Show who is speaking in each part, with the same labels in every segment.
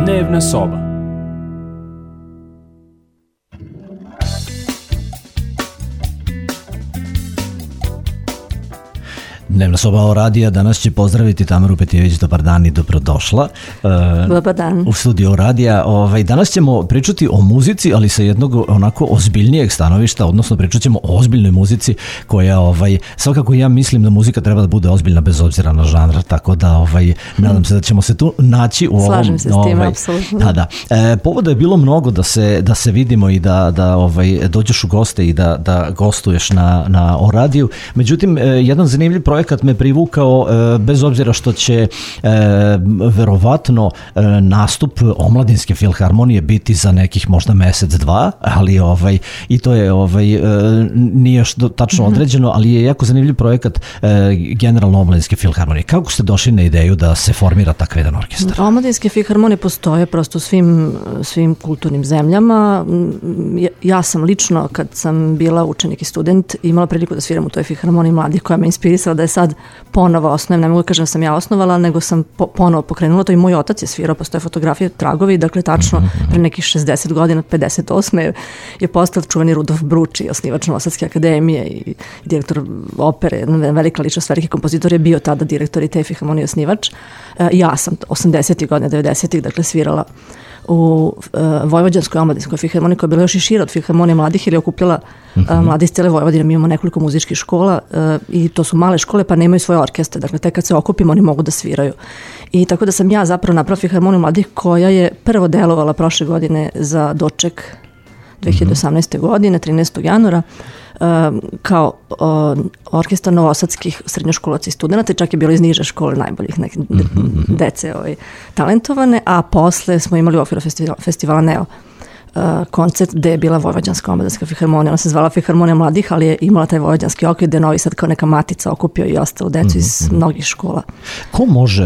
Speaker 1: Dnevna soba.
Speaker 2: Dnevna soba radija danas će pozdraviti Tamaru Petijević. Dobar dan i dobrodošla.
Speaker 3: Dobar dan.
Speaker 2: U studiju radija. Danas ćemo pričati o muzici, ali sa jednog onako ozbiljnijeg stanovišta, odnosno pričat ćemo o ozbiljnoj muzici koja, svakako ja mislim da muzika treba da bude ozbiljna bez obzira na žanr, tako da nadam se da ćemo se tu naći u ovom.
Speaker 3: Slažem se s tim, apsolutno.
Speaker 2: Da. Povoda je bilo mnogo da se vidimo i da dođeš u goste i da gostuješ na o radiju. Međutim, jedan zanimljiv projekat me privukao, bez obzira što će verovatno nastup Omladinske filharmonije biti za nekih možda mesec, dva, ali i to je nije još tačno određeno, ali je jako zanimljiv projekat generalno Omladinske filharmonije. Kako ste došli na ideju da se formira takav jedan orkestar?
Speaker 3: Omladinske filharmonije postoje prosto u svim kulturnim zemljama. Ja sam lično, kad sam bila učenik i student, imala priliku da sviram u toj filharmoniji mladih, koja me inspirisala da je sad ponovo osnovim. Ne mogu da kažem da sam ja osnovala, nego sam ponovo pokrenula to i moj otac je svirao, postoje fotografije, tragovi, dakle tačno pre nekih 60 godina, 58. je postao čuveni Rudolf Bruči, osnivač Novosadske akademije i direktor opere, velika ličnost, veliki kompozitor, je bio tada direktor i te filharmonije osnivač. Ja sam 80. godina, 90. dakle svirala u Vojvođanskoj omladinskoj filharmoniji, koja je bila još i šira od filharmonije mladih, ili je okupljala mladi iz cele Vojvodine. Mi imamo nekoliko muzičkih škola i to su male škole, pa nemaju svoje orkestre, dakle tek kad se okupimo oni mogu da sviraju. I tako da sam ja zapravo napravila filharmoniju mladih, koja je prvo delovala prošle godine za doček 2018. godine, 13. januara, kao orkestar novosadskih srednjoškolaca i studenta, čak je bilo iz niže škole najboljih dece talentovane, a posle smo imali u okviru festivala Neo koncert gde je bila Vojvođanska omladinska filharmonija. Ona se zvala Filharmonija mladih, ali je imala taj vojvođanski okvir gde je Novi Sad kao neka matica okupio i ostalo decu iz mnogih škola.
Speaker 2: Ko može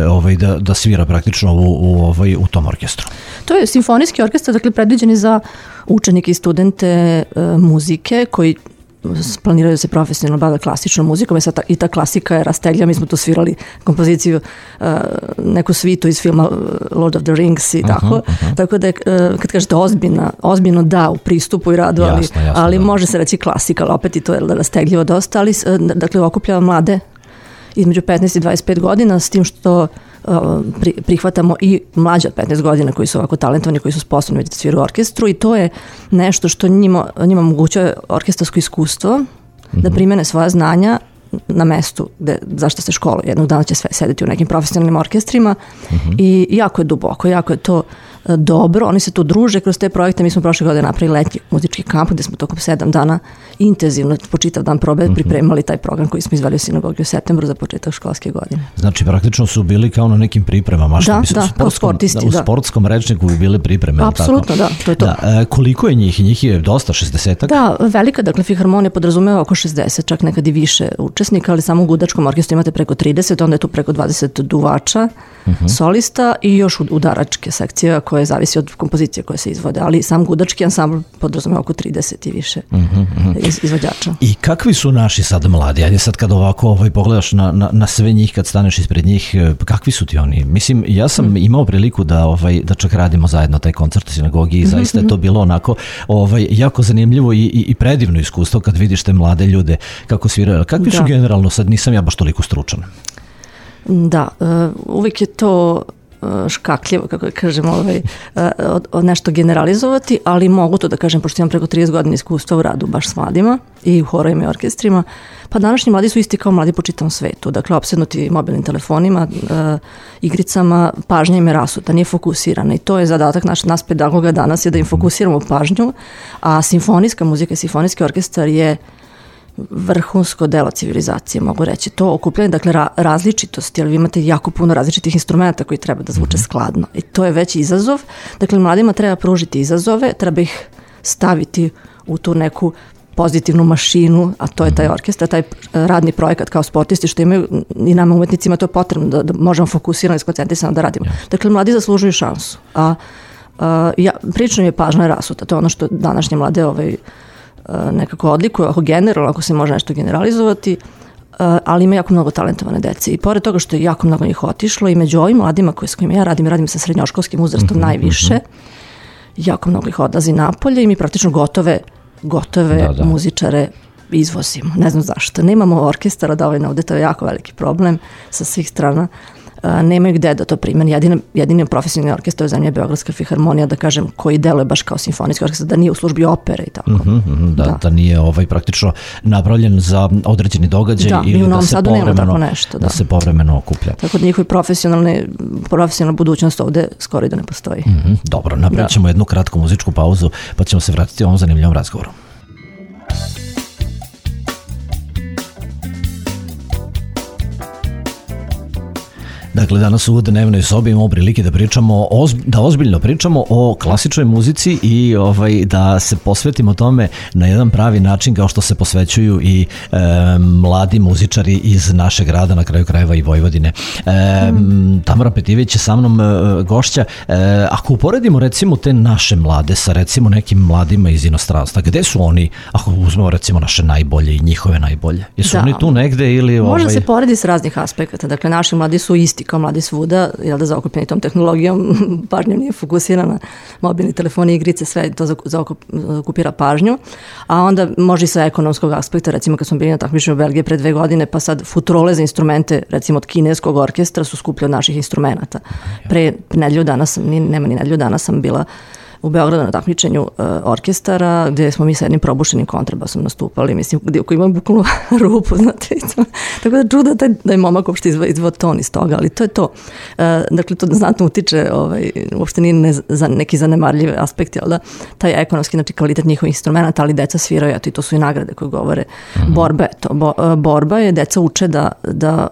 Speaker 2: da svira praktično u tom orkestru? To
Speaker 3: je simfonijski orkestar, dakle predviđeni za učenike i studente muzike koji planiraju da se profesionalno bave klasičnom muzikom i ta klasika je rasteglja. Mi smo tu svirali kompoziciju, neku svitu iz filma Lord of the Rings i tako. Tako da je, kad kažete ozbiljno da u pristupu i radu, ali može se reći klasika, ali opet i to je rastegljivo dosta, ali dakle okuplja mlade između 15 i 25 godina, s tim što prihvatamo i mlađe od 15 godina koji su ovako talentovani, koji su sposobni da sviraju u orkestru, i to je nešto što njima omogućuje orkestarsko iskustvo, da primene svoja znanja na mestu zašto se školuje. Jednog dana će sve sedeti u nekim profesionalnim orkestrima i jako je duboko, jako je to dobro. Oni se tu druže kroz te projekte. Mi smo prošle godine napravili letnji muzički kamp gde smo tokom 7 dana intenzivno po čitav dan probe pripremali taj program koji smo izveli u sinagogi u septembru za početak školske godine.
Speaker 2: Znači praktično su bili kao na nekim pripremama.
Speaker 3: Kao sportisti.
Speaker 2: U sportskom rečniku bi bili pripreme.
Speaker 3: Apsolutno, da. To je to.
Speaker 2: Koliko je njih? Njih je dosta, 60-ak?
Speaker 3: Da, velika, dakle filharmonija podrazumeva oko 60, čak nekad i više učesnika, ali samo u gudačkom orkestru imate preko 30, onda je tu preko 20 duvača, solista i još udaračke sekcije koje zavisi od kompozicije koje se izvode, ali sam gudački ansambl podrazumeva oko 30 i više izvođača.
Speaker 2: I kakvi su naši sad mladi? Ajde sad kad ovako pogledaš na sve njih, kad staneš ispred njih, kakvi su ti oni? Mislim, ja sam imao priliku da čak radimo zajedno taj koncert u sinagogi i zaista je to bilo onako jako zanimljivo i predivno iskustvo kad vidiš te mlade ljude kako sviraju. Kakvi su generalno, sad nisam ja baš toliko stručan.
Speaker 3: Da, uvijek je to škakljivo, kako da kažem, nešto generalizovati, ali mogu to da kažem, pošto imam preko 30 godina iskustva u radu baš s mladima i u horovima i orkestrima. Pa današnji mladi su isti kao mladi po čitavom svetu, dakle opsednuti mobilnim telefonima, igricama, pažnja im je rasuta, nije fokusirana, i to je zadatak nas pedagoga danas, je da im fokusiramo pažnju, a simfonijska muzika i simfonijski orkestar je vrhunsko delo civilizacije, mogu reći. To okupljanje, dakle, različitosti, ali vi imate jako puno različitih instrumenta koji treba da zvuče skladno. I to je već izazov. Dakle, mladima treba pružiti izazove, treba ih staviti u tu neku pozitivnu mašinu, a to je taj orkestar, taj radni projekat kao sportisti, što imaju i nama umetnicima, to je potrebno da možemo fokusirano i skoncentrisano da radimo. Dakle, mladi zaslužuju šansu. Prilično mi je pažnja rasuta. To je ono što današnje mlade nekako odlikuje, ako generalno, ako se može nešto generalizovati. ali ima jako mnogo talentovane dece. I pored toga što je jako mnogo njih otišlo i među ovim mladima s kojima ja radim sa srednjoškolskim uzrastom najviše, jako mnogo ih odlazi napolje i mi praktično gotove muzičare izvozimo. Ne znam zašto. Nemamo orkestara dovoljno ovde, to je jako veliki problem sa svih strana. Nemaju gde da to primeni. Jedini profesionalni orkestar u zemlji je Beogradska filharmonija, da kažem, koji deluje baš kao simfonijski orkestar, da nije u službi opere i tako.
Speaker 2: Da nije praktično napravljen za određeni događaj ili da se povremeno okuplja.
Speaker 3: Tako da njihovi profesionalna budućnost ovde skoro i da ne postoji.
Speaker 2: Dobro, napravit ćemo jednu kratku muzičku pauzu, pa ćemo se vratiti ovom zanimljivom razgovoru. Dakle, danas u dnevnoj sobi imamo prilike da pričamo, da ozbiljno pričamo o klasičnoj muzici i da se posvetimo tome na jedan pravi način kao što se posvećuju i mladi muzičari iz našeg grada, na kraju krajeva i Vojvodine. Tamara Petijević je sa mnom gošća. Ako uporedimo recimo te naše mlade sa recimo nekim mladima iz inostranstva, gde su oni, ako uzmemo recimo naše najbolje i njihove najbolje? Jesu oni tu negde ili...
Speaker 3: Može se poredi s raznih aspekata. Dakle, naši mladi su isti kao mladi svuda, zaokupljeni tom tehnologijom, pažnja nije fokusirana, mobilni telefoni, igrice, sve to zaokupira pažnju, a onda može i sa ekonomskog aspekta, recimo kad smo bili na takmičenju u Belgiji pre 2 godine, pa sad futrole za instrumente, recimo od kineskog orkestra, su skuplji od naših instrumenta. Pre nedelju dana sam bila u Beogradu na takmičenju orkestara, gde smo mi sa jednim probušenim kontrabasom nastupali, mislim, koji ima bukvalno rupu, znate. Tako da čudo da je momak uopšte izvao ton iz toga, ali to je to. Dakle, to znatno utiče, uopšte nije neki zanemarljiv aspekt, jel da, taj ekonomski, znači kvalitet njihovih instrumenta, ali deca sviraju, eto, i to su i nagrade koje govore. Borba je to. Borba je, deca uče da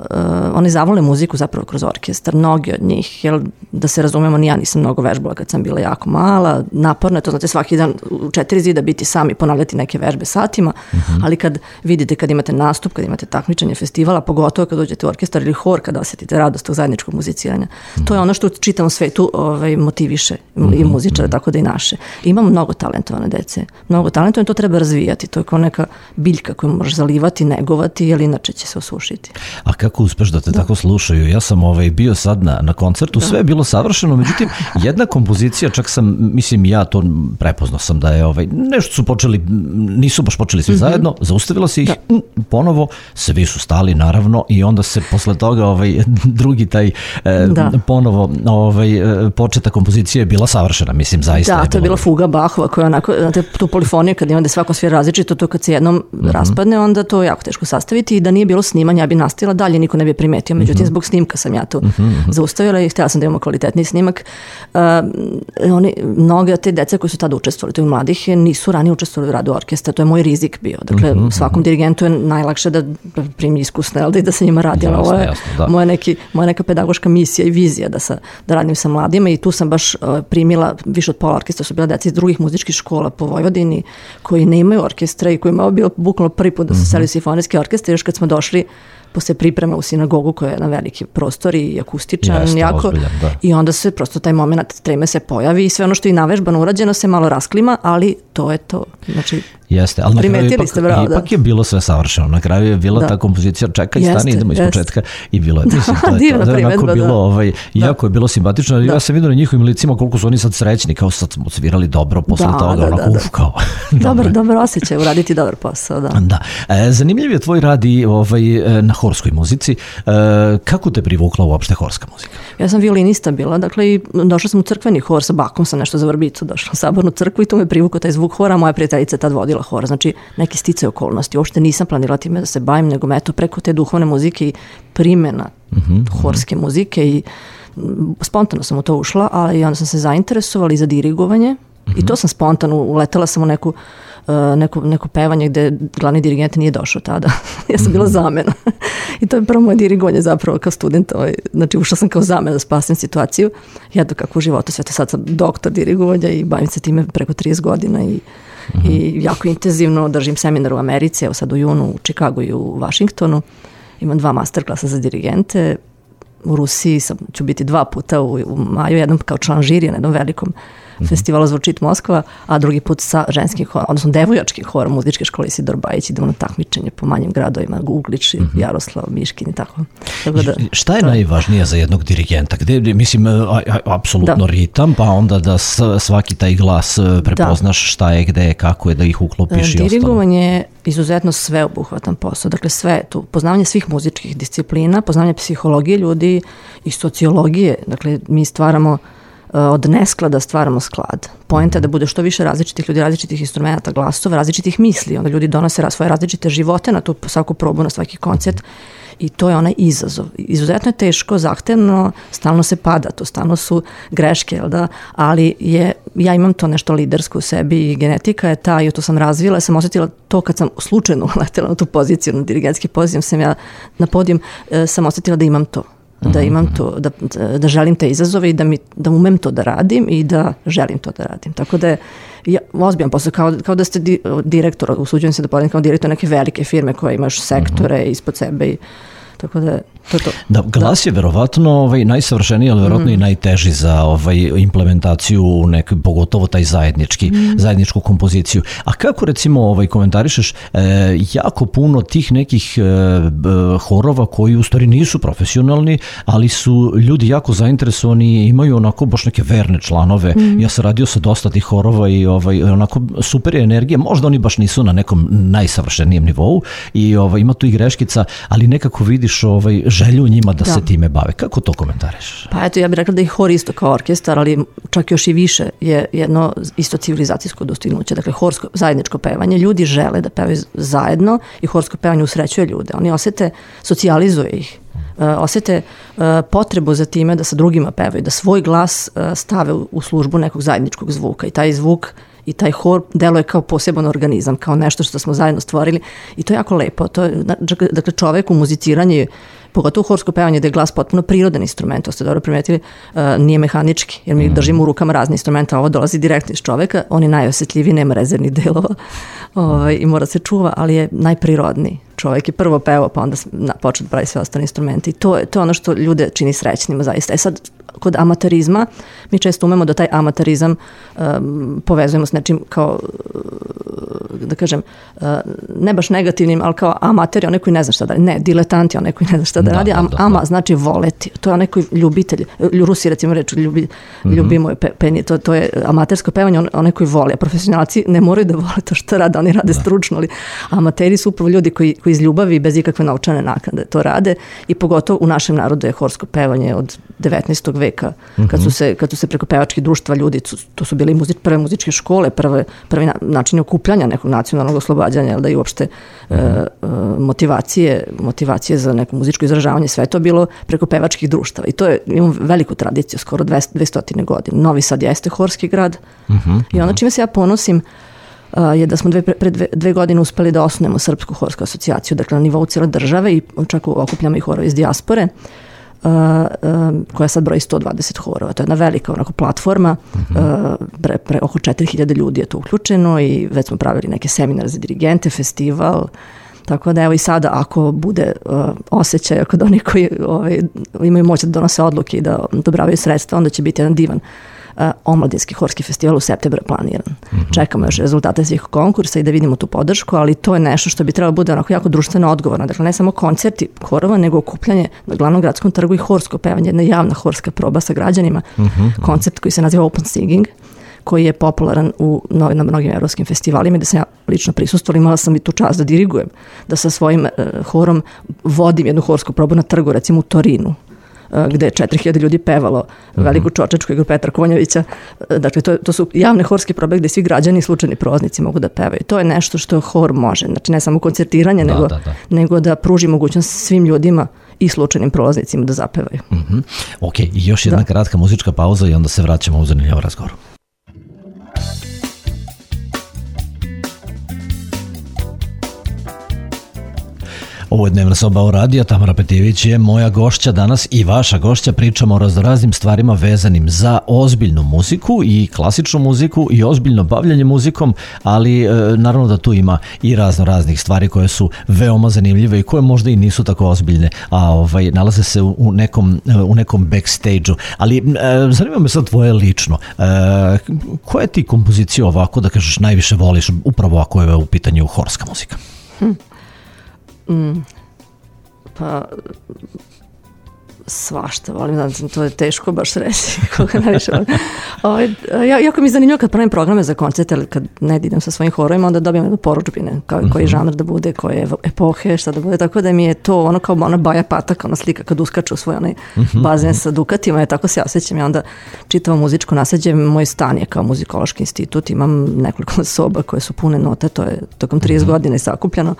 Speaker 3: oni zavole muziku zapravo kroz orkestar, mnogi od njih, jel, da se razumemo, ni ja nisam mnogo vežbala kad sam bila jako mala, naporno je to, znate, svaki dan u 4 zida biti sami, ponavljati neke vežbe satima, ali kad vidite, kad imate nastup, kad imate takmičenje, festivala, pogotovo kad dođete u orkestar ili hor, kada osjetite radost tog zajedničkog muziciranja. To je ono što u čitavom svetu motiviše i muzičare, tako da i naše. Imamo mnogo talentovane dece. Mnogo talentovane, to treba razvijati. To je kao neka biljka koju možeš zalivati, negovati, jer inače će se osušiti.
Speaker 2: A kako uspeš da te tako slušaju? Ja sam bio sad na koncertu, sve je bilo savršeno, međutim, jedna kompozicija, čak sam, mislim, ja to prepoznao sam da je nešto su počeli, nisu baš počeli svi zajedno, zaustavilo se ih ponovo, svi su stali naravno i onda se posle toga drugi taj ponovo početa kompozicija je bila savršena, mislim, zaista.
Speaker 3: Da, to je bila fuga Bachova koja onako, znate, tu polifoniju kad imate svako svije različito, to kad se jednom raspadne, onda to je jako teško sastaviti i da nije bilo snimanja, ja bi nastavila dalje, niko ne bi primetio, međutim zbog snimka sam ja to zaustavila i htjela sam da imamo kvalitetni snimak. Mnoge od te dece koji su tada učestvovali, tih mladih, nisu ranije učestvovali u radu orkestra, to je moj rizik bio. Dakle, svakom dirigentu je najlakše da primi iskusne, ali da se njima radi. Ovo je moja neka pedagoška misija i vizija da radim sa mladima i tu sam baš primila, više od pola orkestra su bila deca iz drugih muzičkih škola po Vojvodini koji nemaju orkestra i kojima je bio bukvalno prvi put da su seli u simfonijski orkestar. Još kad smo došli posle priprema u sinagogu koja je na veliki prostor i akustičan, jako. I onda se prosto taj moment treme se pojavi i sve ono što je navežbano urađeno se malo rasklima, ali to je to. Znači,
Speaker 2: jeste, ali na kraju ipak je bilo sve savršeno. Na kraju je bila ta kompozicija čekaj, stani, idemo iz početka i bilo je. Mislim, to je onako bilo, jako je bilo simpatično, ali ja sam vidio na njihovim licima koliko su oni sad srećni, kao sad smo svirali dobro posle toga, onako kao.
Speaker 3: Dobar osjećaj, uraditi dobar posao,
Speaker 2: da. Zanimljiv je tvoj rad i na horskoj muzici. Kako te privukla uopšte horska muzika?
Speaker 3: Ja sam violinista bila, dakle i došla sam u crkveni hor, sa bakom sam nešto za vrbicu došla u sabornu crkvu i tu me privukao taj zvuk hora, moja prijateljica tad vodila hor, znači neki sticaj okolnosti. Uopšte nisam planirala time da se bavim, nego eto preko te duhovne muzike i primjena horske muzike i spontano sam u to ušla, ali onda sam se zainteresovala i za dirigovanje i to sam spontano, uletela sam u neko pevanje gde glavni dirigent nije došao tada. Ja sam bila zamena. I to je prvo moje dirigovanje zapravo kao student. Znači ušla sam kao zamena da spasim situaciju. Ja kako u životu sve to, sad sam doktor dirigovanja i bavim se time preko 30 godina i jako intenzivno držim seminar u Americi, evo sad u junu u Čikagu i u Vašingtonu. Imam 2 masterklasa za dirigente. U Rusiji ću biti 2 puta u maju, jednom kao član žirija na jednom velikom festivalu Zvučit Moskva, a drugi put sa ženskim horom, odnosno devojačkim horom muzičke škole Isidor Bajić, idemo na takmičenje po manjim gradovima, Uglič, Jaroslav, Miškin i tako.
Speaker 2: Šta je najvažnije za jednog dirigenta? Gde, mislim, apsolutno ritam, pa onda da svaki taj glas prepoznaš šta je, gde je, kako je, da ih uklopiš i ostalo.
Speaker 3: Dirigovanje je izuzetno sveobuhvatan posao, dakle sve je tu, poznavanje svih muzičkih disciplina, poznavanje psihologije ljudi i sociologije, dakle mi stvaramo od nesklada stvaramo sklad. Poenta je da bude što više različitih ljudi, različitih instrumenta, glasova, različitih misli, onda ljudi donose svoje različite živote na tu svaku probu, na svaki koncert i to je onaj izazov. Izuzetno je teško, zahtevno, stalno se pada, to stalno su greške, jel da? Ali ja imam to nešto lidersko u sebi i genetika je ta, i to sam razvila, sam osjetila to kad sam slučajno uletela na tu poziciju, na dirigentski poziv, sam ja na podijum, sam osjetila da imam to. Da imam to, da želim te izazove i da umem to da radim i da želim to da radim. Tako da je ozbiljan posao, kao da ste direktor, usuđujem se da podelim kao direktor neke velike firme koje imaš sektore ispod sebe i tako da to je to.
Speaker 2: Da, glas je verovatno najsavršeniji, ali verovatno i najteži za implementaciju pogotovo taj zajedničku kompoziciju. A kako recimo komentarišeš jako puno tih nekih horova koji u stvari nisu profesionalni, ali su ljudi jako zainteresovani i imaju onako baš neke verne članove. Ja sam radio sa dosta tih horova i onako super je energija. Možda oni baš nisu na nekom najsavršenijem nivou i ima tu i greškica, ali nekako vidiš želju njima da se time bave. Kako to komentariš?
Speaker 3: Pa eto, ja bih rekla da je hor isto kao orkestar, ali čak još i više je jedno isto civilizacijsko dostignuće. Dakle, horsko zajedničko pevanje. Ljudi žele da pevaju zajedno i horsko pevanje usrećuje ljude. Oni osete, socijalizuje ih. Osete potrebu za time da sa drugima pevaju, da svoj glas stave u službu nekog zajedničkog zvuka. I taj zvuk i taj hor deluje kao poseban organizam, kao nešto što smo zajedno stvorili i to je jako lepo. To je, dakle, čovek u muziciranju, pogotovo horsko pevanje, da je glas potpuno prirodan instrument, to ste dobro primetili, nije mehanički, jer mi držimo u rukama razne instrumenta, a ovo dolazi direktno iz čoveka, on je najosjetljiviji, nema rezervnih delova i mora se čuva, ali je najprirodniji. Čovjek je prvo pevao, pa onda počeo da pravi sve ostale instrumente i to je ono što ljude čini srećnima zaista. Sad, kod amaterizma, mi često umemo da taj amaterizam povezujemo s nečim kao, da kažem, ne baš negativnim, ali kao amater je onaj koji ne zna šta da radi. Ne, diletant je onaj koji ne zna šta da radi, ama znači voleti. To je onaj koji ljubitelj, Rusi recimo reču ljubimo je penje, to je amatersko pevanje, onaj koji voli, a profesionalci ne moraju da vole to što rade, oni rade stručno, ali amateri su upravo ljudi koji iz ljubavi, bez ikakve novčane naknade to rade i pogotovo u našem narodu je horsko pevanje od 19. veka, kad su se preko pevačkih društva ljudi, to su bile prve muzičke škole, prvi način okupljanja nekog nacionalnog oslobađanja, da i uopšte motivacije za neko muzičko izražavanje, sve to bilo preko pevačkih društava i to je, imamo veliku tradiciju, skoro 200 godina. Novi Sad jeste horski grad i ono čime se ja ponosim je da smo pre 2 godine uspeli da osnujemo Srpsku horsku asocijaciju, dakle na nivou cijele države i čak okupljamo i horove iz dijaspore, koja sad broji 120 horova. To je jedna velika onako platforma, oko 4000 ljudi je to uključeno i već smo pravili neke seminare za dirigente, festival, tako da evo i sada ako bude osjećaj kod onih koji imaju moć da donose odluke i da odobravaju sredstva, onda će biti jedan divan omladinski horski festival u septembru planiran. Čekamo još rezultate svih konkursa i da vidimo tu podršku, ali to je nešto što bi trebalo bude onako jako društveno odgovorno. Dakle, ne samo koncerti horova, nego okupljanje na glavnom gradskom trgu i horsko pevanje, jedna javna horska proba sa građanima. Koncept koji se naziva Open Singing, koji je popularan na mnogim evropskim festivalima i da sam ja lično prisustvovala, imala sam i tu čast da dirigujem, da sa svojim horom vodim jednu horsku probu na trgu, recimo u Torinu, gde je 4000 ljudi pevalo veliku čočačku igru Petra Konjovića. Dakle, to su javne horske probe gde svi građani i slučajni prolaznici mogu da pevaju. To je nešto što hor može. Znači, ne samo koncertiranje, nego da pruži mogućnost svim ljudima i slučajnim prolaznicima da zapevaju.
Speaker 2: Ok, i još jedna kratka muzička pauza i onda se vraćamo u zanimljiv razgovor. Ovo je Dnevna soba o radija, Tamara Petijević je moja gošća danas i vaša gošća. Pričamo o raznim stvarima vezanim za ozbiljnu muziku i klasičnu muziku i ozbiljno bavljanje muzikom, ali naravno da tu ima i raznih stvari koje su veoma zanimljive i koje možda i nisu tako ozbiljne, a nalaze se u nekom backstage-u. Ali zanima me sad tvoje lično. Koje ti kompozicije ovako, da kažeš, najviše voliš, upravo ako je u pitanju horska muzika?
Speaker 3: Pa svašta volim, to je teško baš reći koga najviše volim. Jako mi je zanimljivo kad pravim programe za koncerte, ali kad ne idem sa svojim horovima, onda dobijem jednu poručbine, koji žanr da bude, koje epohe, šta da bude, tako da mi je to ono kao ona Baja Patak, ona slika kad uskaču u svoj onaj bazen sa dukatima, tako se ja osjećam i onda čitavo muzičko nasleđe. Moj stan je kao muzikološki institut, imam nekoliko soba koje su pune note, to je tokom 30 godina i sakupljeno.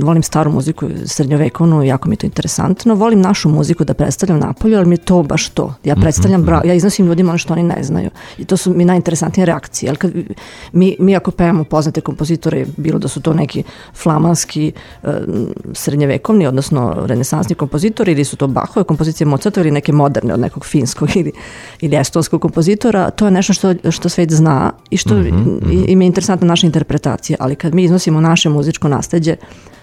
Speaker 3: Volim staru muziku, srednjovekovnu, jako mi je to interesantno. Volim našu muziku da predstavljam napolju, ali mi je to baš to. Ja predstavljam, ja iznosim ljudima ono što oni ne znaju. I to su mi najinteresantnije reakcije. Jer kad mi ako pevamo poznate kompozitore, bilo da su to neki flamanski srednjevekovni, odnosno renesansni kompozitori, ili su to Bachove kompozicije, Mozartove, ili neke moderne od nekog finskog ili estonskog kompozitora, to je nešto što svet zna i što im je interesantna naša interpretacija. Ali kad mi iznosimo naše muzičko nasleđe,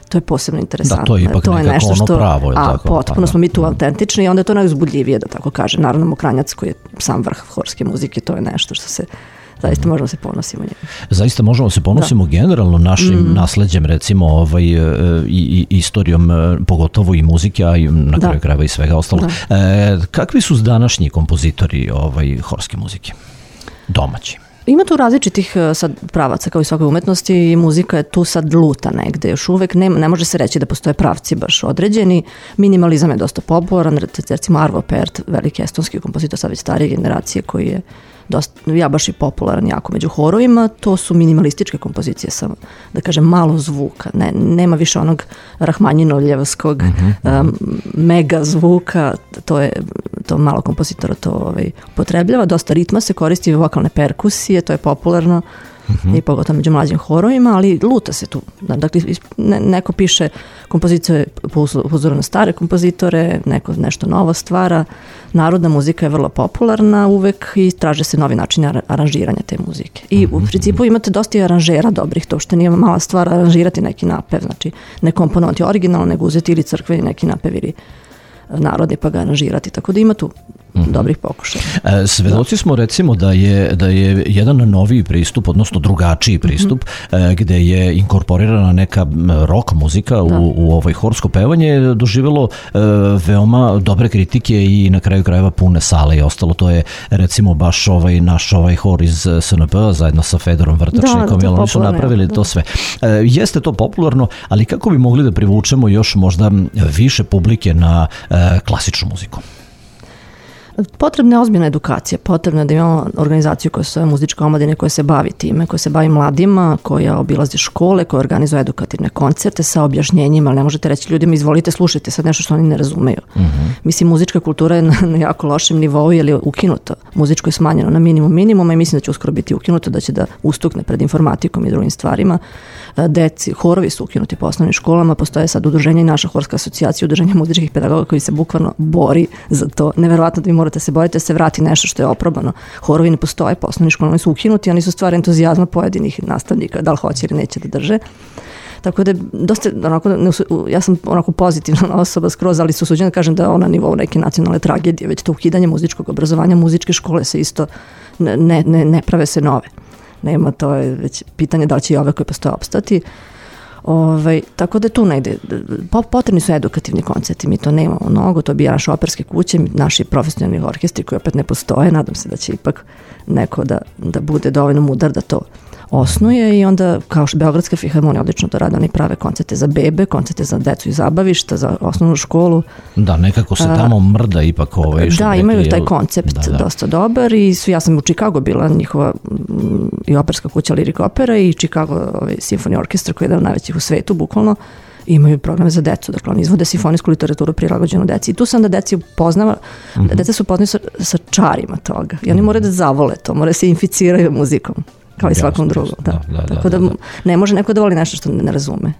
Speaker 3: to je posebno interesantno.
Speaker 2: Da, to je ipak nekako ono pravo.
Speaker 3: Potpuno smo mi tu autentični i onda je to najuzbudljivije, da tako kaže. Naravno, Mokranjac koji je sam vrh horske muzike, to je nešto što se zaista možemo se ponosimo njim.
Speaker 2: Zaista možemo se ponosimo generalno našim nasleđem, recimo i istorijom, pogotovo i muzike, a i na kraju krajeva i svega ostalog. Kakvi su današnji kompozitori horske muzike? Domaći.
Speaker 3: Ima tu različitih sad pravaca kao i svakoj umetnosti i muzika je tu sad luta negde. Još uvek ne može se reći da postoje pravci baš određeni. Minimalizam je dosta popularan, recimo Arvo Pärt, veliki estonski kompozitor sad već starije generacije koji je ja baš i popularan jako među horovima, to su minimalističke kompozicije sa, da kažem, malo zvuka. Nema više onog Rahmanjinovljevskog mega zvuka, to malo kompozitora to upotrebljava. Dosta ritma se koristi, vokalne perkusije, to je popularno i pogotovo među mlađim horovima, ali luta se tu. Dakle, neko piše kompozicije po uzoru na stare kompozitore, neko nešto novo stvara. Narodna muzika je vrlo popularna uvek i traže se novi način aranžiranja te muzike. I u principu imate dosta aranžera dobrih, to što nije mala stvar aranžirati neki napev, znači ne komponovati originalno, nego uzeti ili crkveni neki napev ili narodi pa ga aranžirati, tako da ima tu dobrih pokušaja.
Speaker 2: Svedoci smo recimo da je jedan noviji pristup, odnosno drugačiji pristup, gde je inkorporirana neka rock muzika u ovoj horsko pevanje, doživjelo veoma dobre kritike i na kraju krajeva pune sale i ostalo. To je recimo baš naš hor iz SNP zajedno sa Fedorom Vrtačnikom, jer oni su napravili to sve. Jeste to popularno, ali kako bi mogli da privučemo još možda više publike na klasičnu muziku?
Speaker 3: Potrebna je ozbiljna edukacija, potrebno je da imamo organizaciju koja se zove Muzička omladina koja se bavi time, koja se bavi mladima, koja obilazi škole, koja organizuje edukativne koncerte sa objašnjenjima, ali ne možete reći ljudima izvolite, slušajte sad nešto što oni ne razumeju. Mislim, muzička kultura je na jako lošem nivou jer je ukinuta. Muzičko je smanjeno na minimuma i mislim da će uskoro biti ukinuto, da će da ustukne pred informatikom i drugim stvarima. Horovi su ukinuti po osnovnim školama, postoje sad udruženje i naša horska asocijacija, udruženje muzičkih pedagoga koji se bukvalno bori za to. Neverovatno da vi morate se boriti da se vrati nešto što je oprobano. Horovi ne postoje po osnovnim školama, oni su ukinuti, oni su stvar entuzijazma pojedinih nastavnika, da li hoće ili neće da drže. Tako da dosta, ja sam onako pozitivna osoba skroz, ali se usuđujem da kažem da je ona nivou neke nacionalne tragedije, već to ukidanje muzičkog obrazovanja, muzičke škole se isto ne prave se nove. Nema, to je već pitanje da li će i ove koje postoje opstati. Tako da tu negde, potrebni su edukativni koncerti, mi to nemamo mnogo, to bija naše operske kuće, naši profesionalni orkestri koji opet ne postoje, nadam se da će ipak neko da bude dovoljno mudar da to osnuje i onda kao što Beogradska filharmonija odlično to rade, oni prave koncerte za bebe, koncerte za decu i zabavišta, za osnovnu školu.
Speaker 2: Da, nekako se tamo mrda ipak
Speaker 3: Da, imaju taj koncept dosta dobar i ja sam u Chicago bila, njihova i operska kuća Lyric Opera i Chicago Symphony Orchestra koji je jedan od najvećih u svetu, bukvalno. Imaju programe za decu, dakle oni izvode simfonijsku literaturu prilagođenu deci i tu se onda deci upoznava, deca se upoznaju sa čarima toga i oni moraju da zavole to, moraju se inficiraju muzikom kao i svakom drugom. Tako da ne može neko da voli nešto što ne razume.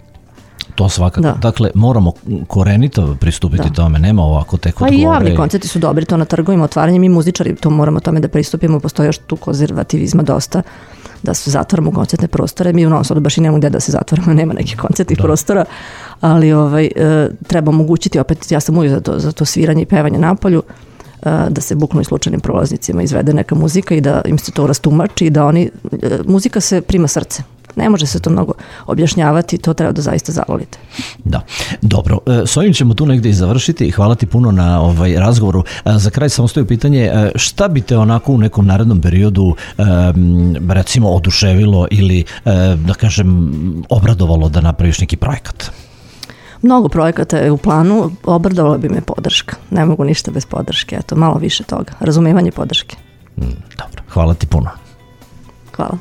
Speaker 2: To svakako. Dakle, moramo korenito pristupiti tome, nema ovako tek od gore.
Speaker 3: Pa i javni koncerti su dobri, to na trgovima, otvaranje, mi muzičari to moramo tome da pristupimo, postoji još tu konzervativizma dosta, da se zatvaramo koncertne prostore, mi u Novom Sadu baš i nemamo gde da se zatvaramo, nema nekih koncertnih prostora, ali treba omogućiti, opet ja sam uvijek za to sviranje i pevanje napolju, da se bukvalno i slučajnim prolaznicima izvede neka muzika i da im se to rastumači i da muzika se prima srce. Ne može se to mnogo objašnjavati, to treba da zaista zavolite.
Speaker 2: Da, dobro. S ovim ćemo tu negdje i završiti. Hvala ti puno na razgovoru. Za kraj samo stoji pitanje, šta bi te onako u nekom narednom periodu recimo oduševilo ili da kažem obradovalo da napraviš neki projekat?
Speaker 3: Mnogo projekata je u planu, obradovala bi me podrška. Ne mogu ništa bez podrške, eto, malo više toga. Razumevanje podrške.
Speaker 2: Dobro, hvala ti puno.
Speaker 3: Hvala.